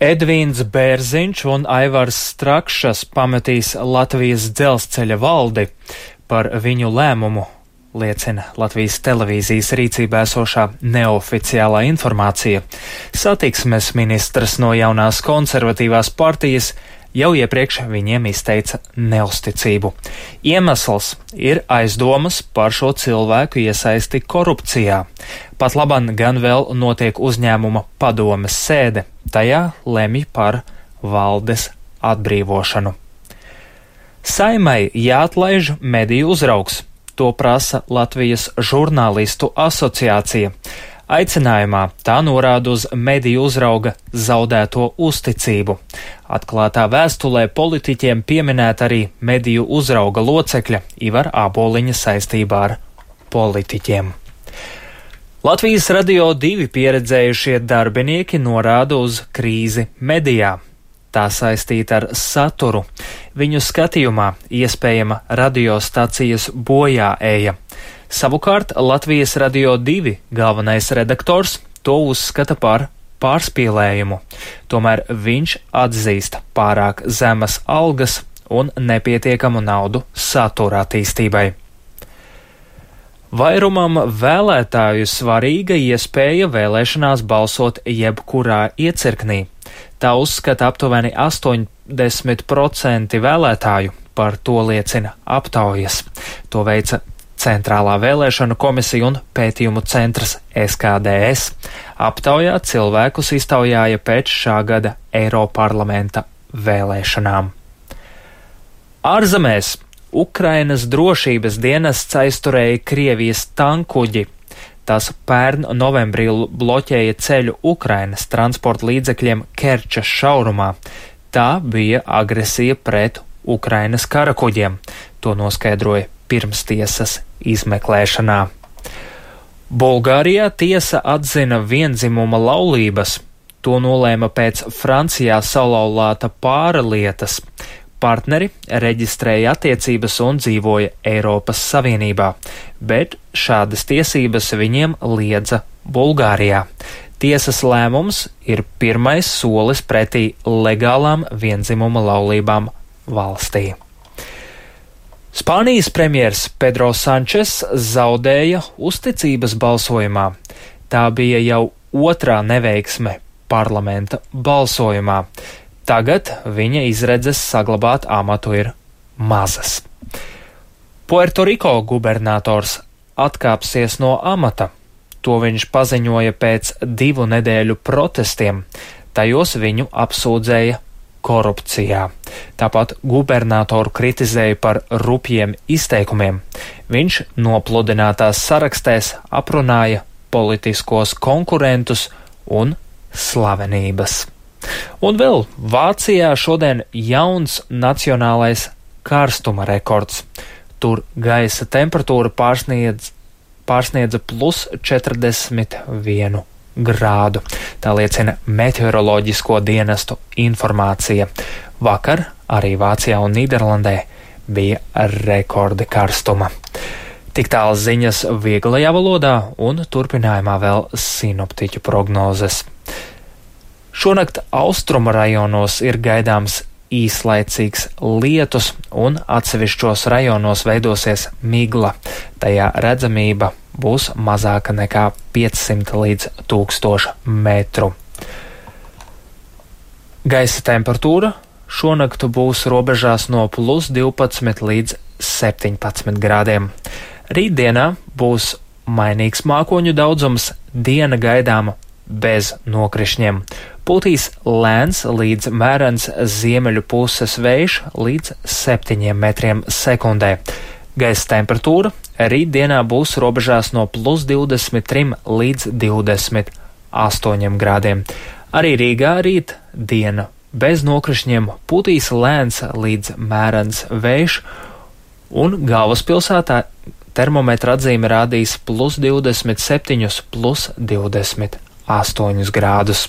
Edvīns Bērziņš un Aivars Strakšas pametīs Latvijas dzelzceļa valdi. Par viņu lēmumu liecina Latvijas televīzijas rīcībā esošā neoficiālā informācija. Satiksmes ministrs no jaunās konservatīvās partijas jau iepriekš viņiem izteica neusticību. Iemesls ir aizdomas par šo cilvēku iesaisti korupcijā. Pat laban gan vēl notiek uzņēmuma padomes sēde. Tajā lemj par valdes atbrīvošanu. Saimai jāatlaiž mediju uzraugs. To prasa Latvijas žurnālistu asociācija. Aicinājumā tā norāda uz mediju uzrauga zaudēto uzticību. Atklātā vēstulē politiķiem pieminēta arī mediju uzrauga locekļa Ivara Āboliņa saistībā ar politiķiem. Latvijas Radio 2 pieredzējušie darbinieki norāda uz krīzi medijā. Tā saistīta ar saturu. Viņu skatījumā iespējama radiostacijas bojāēja. Savukārt Latvijas Radio 2 galvenais redaktors to uzskata par pārspīlējumu. Tomēr viņš atzīst pārāk zemas algas un nepietiekamu naudu satura attīstībai. Vairumam vēlētāju svarīga iespēja vēlēšanās balsot jebkurā iecirknī. Tā uzskata aptuveni 80% vēlētāju, par to liecina aptaujas. To veica Centrālā vēlēšanu komisija un pētījumu centrs SKDS. Aptaujā cilvēkus iztaujāja pēc šā gada Eiroparlamenta vēlēšanām. Ārzemēs Ukrainas drošības dienests aizturēja Krievijas tankuģi. Tas pērn novembrī bloķēja ceļu Ukrainas transporta līdzekļiem Kerčas šaurumā. Tā bija agresija pret Ukrainas karakuģiem. To noskaidroja pirmstiesas izmeklēšanā. Bulgārijā tiesa atzina vienzimuma laulības. To nolēma pēc Francijā salauzāta pāra lietas. Partneri reģistrēja attiecības un dzīvoja Eiropas Savienībā, bet šādas tiesības viņiem liedza Bulgārijā. Tiesas lēmums ir pirmais solis pretī legālām vienzimuma laulībām valstī. Spānijas premjers Pedro Sančes zaudēja uzticības balsojumā. Tā bija jau otrā neveiksme parlamenta balsojumā. Tagad viņa izredzes saglabāt amatu ir mazas. Puertoriko gubernators atkāpsies no amata. To viņš paziņoja pēc 2 nedēļu protestiem. Tajos viņu apsūdzēja korupcijā. Tāpat gubernatoru kritizēja par rupjiem izteikumiem. Viņš nopludinātās sarakstēs aprunāja politiskos konkurentus un slavenības. Un vēl Vācijā šodien jauns nacionālais karstuma rekords. Tur gaisa temperatūra pārsniedza plus 41 grādu. Tā liecina meteoroloģisko dienestu informācija. Vakar arī Vācijā un Nīderlandē bija rekordi karstuma. Tik tālu ziņas vieglajā valodā un turpinājumā vēl sinoptiķu prognozes. Šonakt austrumu rajonos ir gaidāms īslaicīgs lietus un atsevišķos rajonos veidosies migla. Tajā redzamība būs mazāka nekā 500 līdz 1000 metru. Gaisa temperatūra šonakt būs robežās no plus 12 līdz 17 grādiem. Rītdienā būs mainīgs mākoņu daudzums, diena gaidāma bez nokrišņiem. Pūtīs lēns līdz mērens ziemeļu puses vējš līdz 7 metriem sekundē. Gaisa temperatūra rītdienā būs robežās no plus 23 līdz 28 grādiem. Arī Rīgā rīt diena bez nokrišņiem, pūtīs lēns līdz mērens vējš un galvaspilsētā termometra atzīme rādīs plus 27, plus 28 grādus.